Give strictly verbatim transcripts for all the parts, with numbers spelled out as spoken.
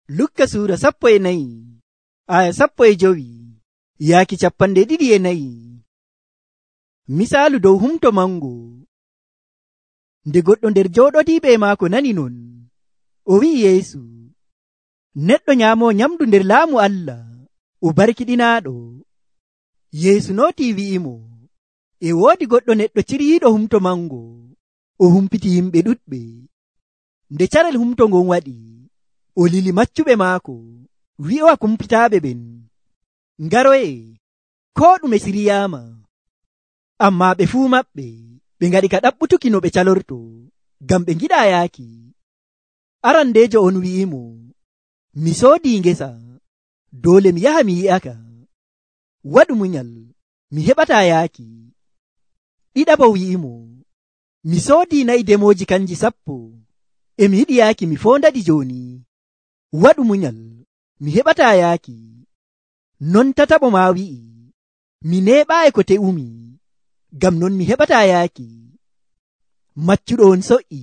Lukka suura sappo e nayi aya sappo e jowi yaaki capanɗe ɗiɗi e nayi. Misaalu dow humto mango. Nde goɗɗo nder jooɗodiiɓe e maako nani non, o wi'i Yeesu, neɗɗo nyaamo nyamdu nder laamu Allah o barkiɗinaaɗo. Yeesu nootii wi'imo, e woodi goɗɗo neɗɗo ciriiɗo humto mango, o humpiti yimɓe ɗuɗɓe. Nde carel humto ngon waɗi, o lili maccuɓe maako, wi'owa kumpitaaɓe ɓen, ngaroye, koo ɗume siriyaama. Ammaa ɓe fuu maɓɓe ɓe ngaɗi ka ɗaɓɓutuki no ɓe calorto, ngam ɓe ngiɗaa yaaki. Arandeejo on wi'imo, mi soodii ngesa, doole mi yaha mi yi'aka. Waɗu munyal, mi heɓataa yaaki. Ɗiɗaɓo wi'imo, mi soodii nayi demooji kanji sappo, e mi yiɗi yaaki mi foondaɗi jooni. Waɗu munyal, mi heɓataa yaaki. Non tataɓo maa wi'i, mi neeɓaayi ko te'umi, ngam non mi heɓataa yaaki. Maccuɗo on so'i,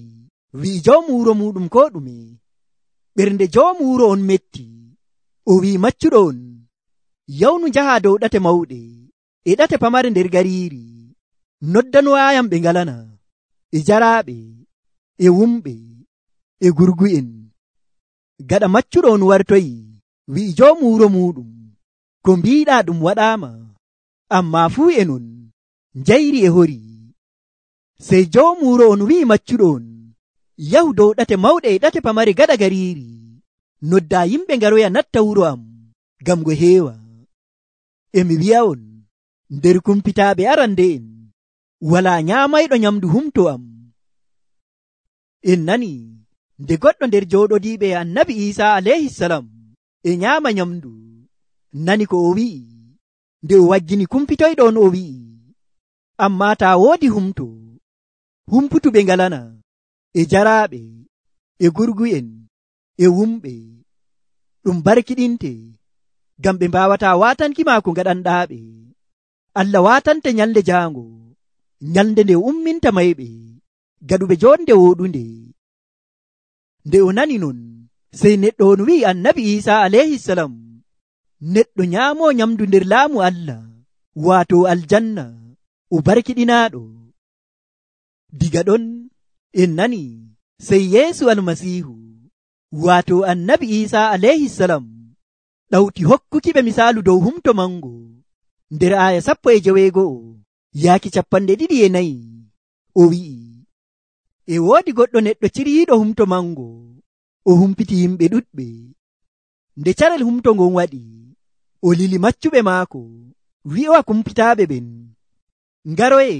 wi'i joomu wuro muɗum ko ɗume. Ɓernde joomu wuro on metti, o wi'i maccuɗo on, yawnu njahaa dow ɗate mawɗe e ɗate pamare nder gariiri, noddanoyam ɓe ngalana, e jaraaɓe, e wumɓe, e gurgu'en. Gaɗa maccuɗo on wartoyi, wi'i joomu wuro muɗum, ko mbiiɗaa ɗum waɗaama, ammaa fuu e non njayri e hori. Sey joomu wuro on wi'i maccuɗo on, yahu dow ɗate mawɗe e ɗate pamare gaɗa gariiri, noddaa yimɓe ngaroya natta wuro am, ngam ngo heewa. E mi wi'a'on, nder kumpitaaɓe arande'en walaa nyaamayɗo nyamdu humto am. En nani nde goɗɗo nder jooɗodiiɓe e annabi Iisaa alayhisalam e nyaama nyamdu, nani ko o wi'i, nde o waggini kumpitoyɗo on o wi'i, ammaa taa woodi humto, humputuɓe ngalana, e jaraaɓe, e gurgu'en, e wumɓe, ɗum barkiɗinte, ngam ɓe mbaawataa waatanki maa ko ngaɗanɗaaɓe. Allah waatante nyalde jaango, nyalde nde umminta mayɓe, gaɗuɓe jonde wooɗunde. Nde o nani non, sey neɗɗo on wi'i annabi Iisaa alayhisalam, neɗɗo nyaamoo nyamdu nder laamu Allah, waato aljanna, o barkiɗinaaɗo. Diga ɗon en nani sey Yeesu almasiihu, waato annabi Iisaa alayhisalam, ɗawti hokkukiɓe misaalu dow humto mango nder aya sappo e joweego'o yaaki capanɗe ɗiɗi e nayi. O wi'i, e woodi goɗɗo neɗɗo ciriiɗo humto mango, o humpiti yimɓe ɗuɗɓe. Nde carel humto ngon waɗi, o lili maccuɓe maako, wi'owa kumpitaaɓe ɓen, ngaroye,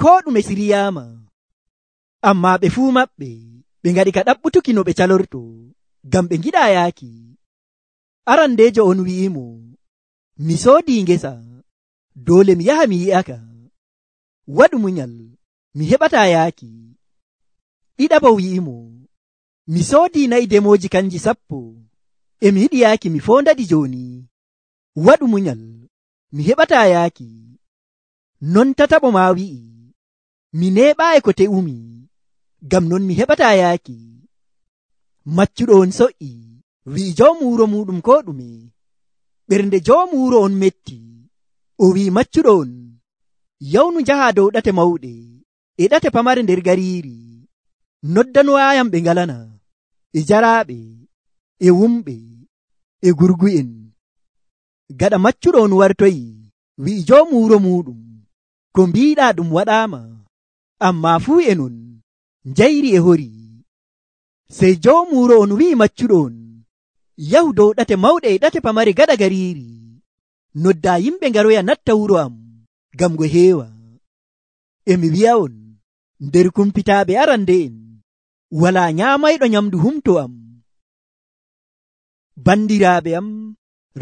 koo ɗume siriyaama. Ammaa ɓe fuu maɓɓe ɓe ngaɗi ka ɗaɓɓutuki no ɓe calorto, ngam ɓe ngiɗaa yaaki. Arandeejo on wi'imo, mi soodii ngesa, doole mi yaha mi yi'aka. Waɗu munyal, mi heɓataa yaaki. Ɗiɗaɓo wi'imo, mi soodii nayi demooji kanji sappo, e mi yiɗi yaaki mi foondaɗi jooni. Waɗu munyal, mi heɓataa yaaki. Non tataɓo maa wi'i, mi neeɓaayi ko te'umi, ngam non mi heɓataa yaaki. Maccuɗo on so'i, wi'i joomu wuro muɗum ko ɗume. Ɓernde joomu wuro on metti, o wi'i maccuɗo on, yawnu njahaa dow ɗate mawɗe e ɗate pamare nder gariiri, noddanoyam ɓe ngalana, e jaraaɓe, e wumɓe, e gurgu'en. Gaɗa maccuɗo on wartoyi, wi'i joomu wuro muɗum, ko mbiiɗaa ɗum waɗaama, ammaa fuu e non njayri e hori. Sey joomu wuro on wi'i maccuɗo on, yahu dow ɗate mawɗe e ɗate pamare gaɗa gariiri, noddaa yimɓe ngaroya natta wuro am, ngam ngo heewa. E mi wi'a'on, nder kumpitaaɓe arande'en walaa nyaamayɗo nyamdu humto am. Bandiraaɓe am,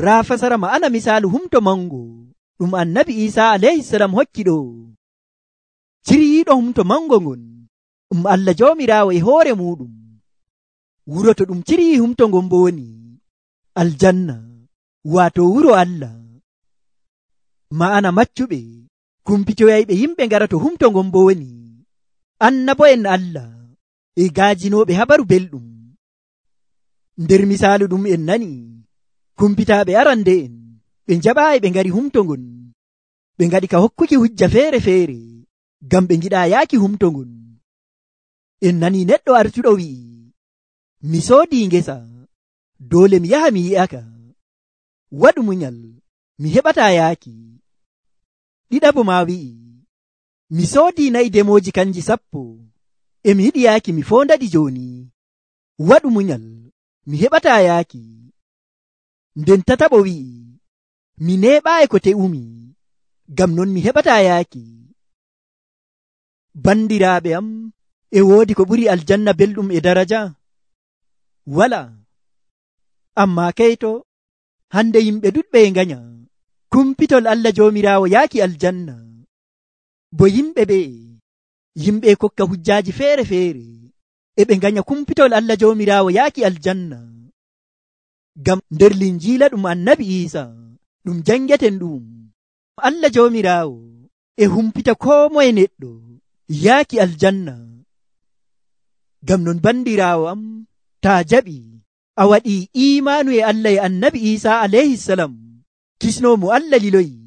raa fasara ma'ana misaalu humto mango ɗum annabi Iisaa alayhisalam hokki ɗo. Ciriiɗo humto mango ngon ɗum Allah joomiraawo e hoore muɗum. Wuro to ɗum cirii humto ngon bo woni aljanna, waato wuro Allah. Ma'ana maccuɓe kumpitoyayɓe yimɓe ngara to humto ngon bo woni annabo'en Allah e gaajinooɓe habaru belɗum. nder misaalu ɗum en nani kumpitaaɓe arande en ɓe jaɓaayi ɓe ngari humto ngon, ɓe ngaɗi ka hokkuki hujja feere feere ngam ɓe ngiɗa yaaki humto ngon. En nani neɗɗo artuɗo wi'i, mi soodi ngesa, doole mi yaha mi yi'aka, waɗu munyal, mi heɓata yaaki. Ɗiɗaɓo ma wi'i, mi soodi nayi demoji kanji sappo, e mi yiɗi yaaki mi fondaɗi joni, waɗu munyal, mi heɓata yaaki. Nden tataɓo wi'i, mi neɓaayi ko te'umi, ngam non mi heɓata yaaki. Bandiraaɓe am, e woodi ko ɓuri aljanna belɗum e daraja? Wala. Amma kayto, hande yimɓe ɗuɗɓe e nganya kumpitol Allah joomiraawo yaaki aljanna. Bo yimɓe ɓe yimɓe kokka hujjaaji feere feere e ɓe nganya kumpitol Allah joomiraawo yaaki aljanna. Ngam nder linjiila ɗum annabi Iisa ɗum jangeten ɗum, Allah joomiraawo e humpita koo moye neɗɗo yaaki aljanna. Ngam non bandiraawo am, taa jaɓi a waɗi imaanu e Allah e annabi Iisa alayhi salam, kisnoomo Allah liloyi,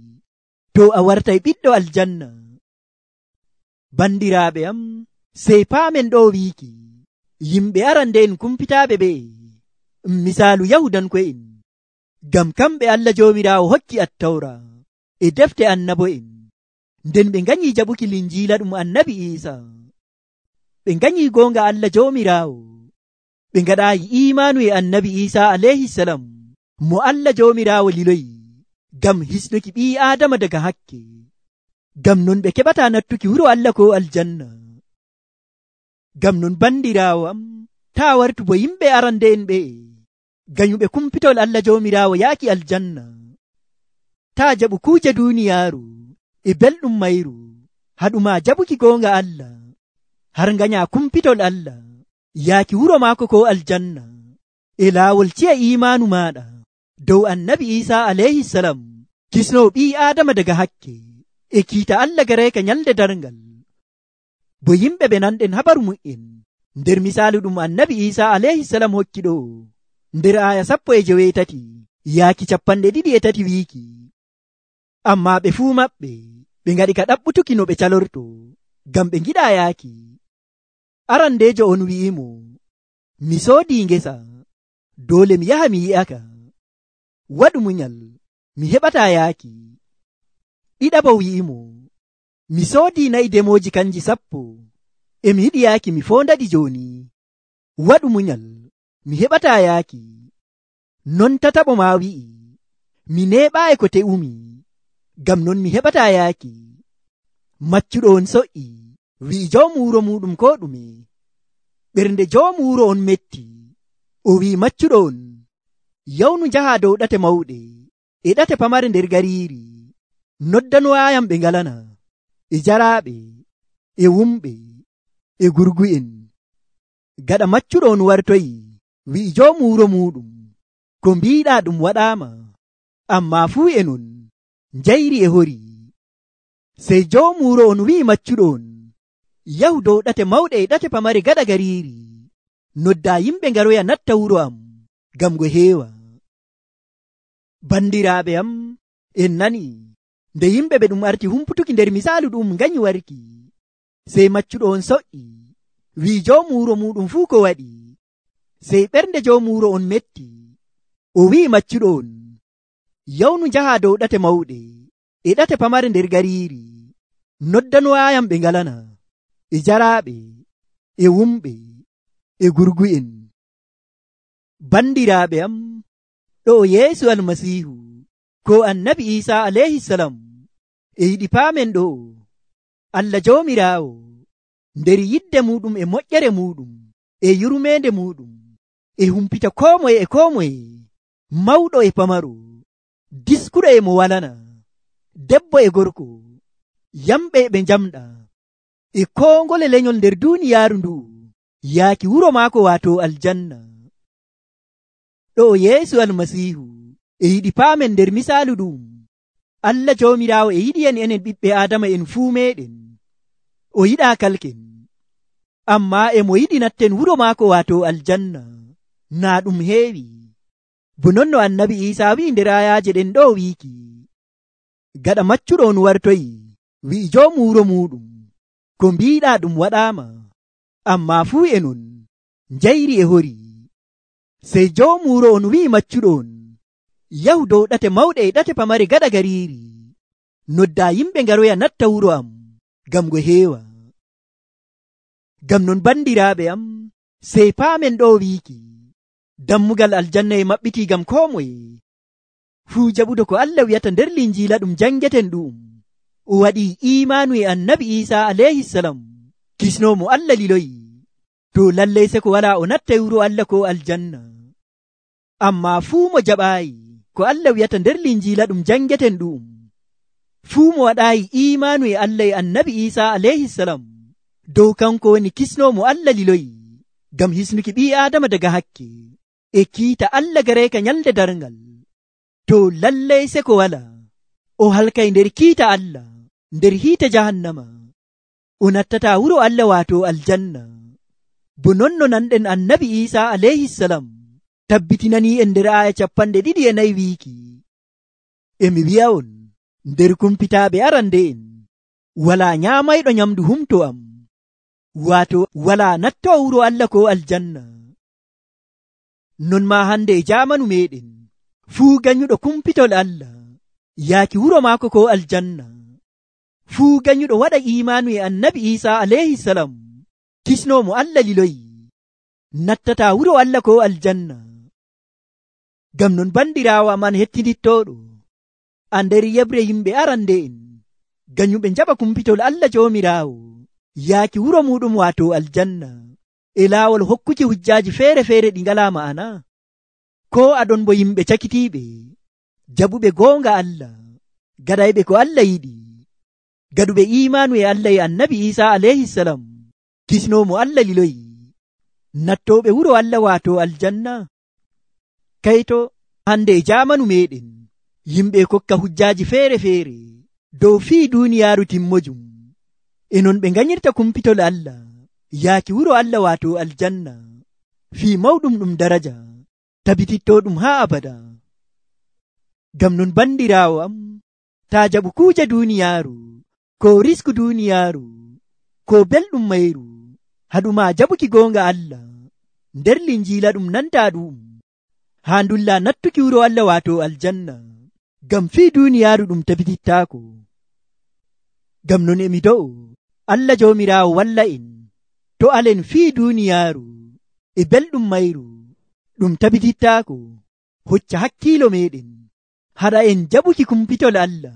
to a wartay ɓiɗɗo aljanna. Bandiraaɓe am, sey paamen ɗo wiiki yimɓe arande en kumpitaaɓe ɓe misaalu yahudanko'en, ngam kamɓe Allah joomiraawo hokki attawra e defte annabo'en, nden ɓe nganyi jaɓuki linjiila ɗum annabi Iisa. Ɓe nganyi goonga Allah joomiraawo, ɓe ngaɗaayi imaanu e annabi Iisa alayhi salam mo Allah joomiraawo liloyi ngam hisnuki ɓii Aadama daga hakke, ngam non ɓe keɓata nattuki wuro Allah ko aljanna. Ngam non bandiraawo am, taa wartu bo yimɓe arande en ɓe ganyuɓe kumpitol Allah joomiraawo yaaki aljanna. Taa jaɓu kuuje duuniyaaru e belɗum mayru haɗuma jaɓuki goonga Allah, har nganya kumpitol Allah yaaki wuro maako ko aljanna e laawol ciya imaanu maaɗa dow annabi Iisa alayhi salam, kisnoo ɓii Aadama daga hakke e kiita Allah gareeka nyalde darngal. Bo yimɓe ɓe nanɗen habaru mu'en nder misaalu ɗum annabi Iisa alayhi salam hokki ɗo nder aya sappo e joweetati yaaki capanɗe ɗiɗi e tati wiiki, amma ɓe fuu maɓɓe ɓe ngaɗi ka ɗaɓɓutuki no ɓe calorto ngam ɓe ngiɗa yaaki. Arandeejo on wi'imo, mi soodi ngesa, doole mi yaha mi yi'aka, waɗu munyal, mi heɓata yaaki. Ɗiɗaɓo wi'imo, mi soodi nayi demoji kanji sappo, e mi yiɗi yaaki mi fondaɗi joni, waɗu munyal, mi heɓata yaaki. Non tataɓo ma wi'i, mi neɓaayi ko te'umi, ngam non mi heɓata yaaki. Maccuɗo on so'i, wi'i joomu wuro muɗum ko ɗume. Ɓernde joomu wuro on metti, o wi'i maccuɗo on, yawnu njaha dow ɗate mawɗe e ɗate pamare nder gariiri, noddanoyam ɓe ngalana, e jaraaɓe, e wumɓe, e gurgu'en. Gaɗa maccuɗo on wartoyi, wi'i joomu wuro muɗum, ko mbiɗa ɗum waɗaama, amma fuu e non njayri e hori. Sey joomu wuro on wi'i maccuɗo on, yahu dow ɗate mawɗe e ɗate pamare gaɗa gariiri, nodda yimɓe ngaroya natta wuro am, ngam go heewa. Bandiraaɓe am, en nani nde yimɓe ɓe ɗum arti humputuki nder misaalu ɗum nganyi warki, sey maccuɗo on so'i, wi'i joomu wuro muɗum fuu ko waɗi. Sey ɓernde joomu wuro on metti, o wi'i maccuɗo on, yawnu njaha dow ɗate mawɗe e ɗate pamare nder gariiri, noddanoyam ɓe ngalana, e jaraaɓe, e wumɓe, e gurgu'en. Bandiraaɓe am, ɗo Yeesu almasiihu ko annabi Iisa alayhi salam e yiɗi paamen ɗo Allah joomiraawo nder yidde muɗum e moƴƴere muɗum e yurmeende muɗum e humpita koo moye e koo moye, mawɗo e pamaro, diskuɗo e mo walana, debbo e gorko, yamɓe e ɓe njamɗa, e koo ngole lenyol nder duuniyaaru ndu yaaki wuro maako waato aljanna. Ɗo Yeesu almasiihu e yiɗi paamen nder misaalu ɗum, Allah joomiraawo e yiɗi en enen ɓiɓɓe Aadama en fuu meɗen, o yiɗa kalken, amma e mo yiɗi natten wuro maako waato aljanna, naa ɗum heewi bo non no annabi Iisaa wi'i nder ayaaje ɗen ɗo wiiki gaɗa maccuɗo on wartoyi wi'i joomu wuro muɗum ko mbiɗa ɗum waɗaama amma fuu enon njayri e hori. Sey joomu wuro on wi'i maccuɗo on yahu dow ɗate mawɗe e ɗate pamare gaɗa gariiri nodda yimɓe ngaroya natta wuro am ngam ngo heewa. Ngam non bandiraaɓe am sey paamen ɗo wiiki dammugal aljanna e maɓɓiti ngam koo moye fuu jaɓudo ko Allah wi'ata nder linjiila ɗum jangeten ɗum o waɗi imaanu e annabi Iisaa alayhisalam kisnomo Allah liloyi to lallay se ko wala o natta wuro Allah ko aljanna. Amma fuu mo jaɓaayi ko Allah wi'ata nder linjiila ɗum jangeten ɗum fuu mo waɗaayi imaanu e Allah e annabi Iisaa alayhisalam dow kanko woni kisnomo Allah liloyi ngam hisnuki ɓii Aadama daga hakke e kiita Allah gareeka nyalde darngal to lallay se ko wala o halkay nder kiita Allah nder hiite jahannama o nattata wuro Allah waato aljanna. Bo non no nanɗen annabi Iisaa alayhisalam tabbitinani en nder aya capanɗe ɗiɗi e nayi wiiki emi wi'a on nder kumpitaaɓe arande en wala nyaamayɗo nyamdu humto am waato wala natto wuro Allah ko aljanna. Non ma hande e jamanu meɗen fuu ganyuɗo kumpitol Allah yaaki wuro maako ko aljanna fuu ganyuɗo waɗa imanu e annabi Iisaa alayhisalam kisnomo Allah liloyi nattata wuro Allah ko aljanna. Ngam non bandirawo man hettidittoɗo a nder yebre yimɓe arande en ganyuɓe jaɓa kumpitol Allah jomirawo yaaki wuro muɗum waato aljanna e laawol hokkuki hujjaaji feere feere ɗi ngala ma'ana ko aɗon bo yimɓe cakitiiɓe jaɓuɓe goonga Allah gaɗayɓe ko Allah yiɗi gaɗuɓe imanu e Allah e annabi Iisaa alayhisalam kisnomo Allah liloyi nattoɓe wuro Allah waato aljanna. Kayto hande e jamanu meɗen yimɓe kokka hujjaaji feere feere dow fii duniyaaru timmojum e non ɓe ganyirta kumpitol Allah yaaki wuro Allah waato aljanna fii mawɗum ɗum daraja tabititto ɗum haa abada. Ngam non bandirawo am ta jaɓu kuuje duniyaaru ko risku duniyaaru ko belɗum mayru haɗuma jaɓuki goonga Allah nder linjiila ɗum nanta ɗum haa ndulla nattuki wuro Allah waato aljanna ngam fii duniyaaru ɗum tabitittaako. Ngam non emi do'o Allah joomiraawo walla en to alen fii duniyaaru e belɗum mayru ɗum tabitittaako hocca hakkiilo meɗen haɗa en jaɓuki kumpitol Allah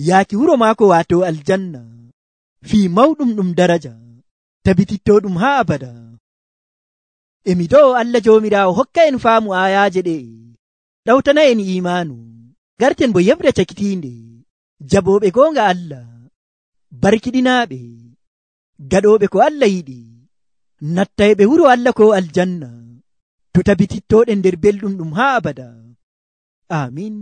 yaaki wuro maako waato aljanna fii mawɗum ɗum daraja tabititto ɗum haa abada. Emi do'o Allah joomiraawo hokka en faamu ayaaje ɗe ɗawtana en imaanu garten bo yebre cakitiinde jaɓoɓe goonga Allah barkiɗinaaɓe gaɗoɓe ko Allah yiɗi nattayɓe wuro Allah ko aljanna to tabitittoɗen nder belɗum ɗum haa abada. Amin.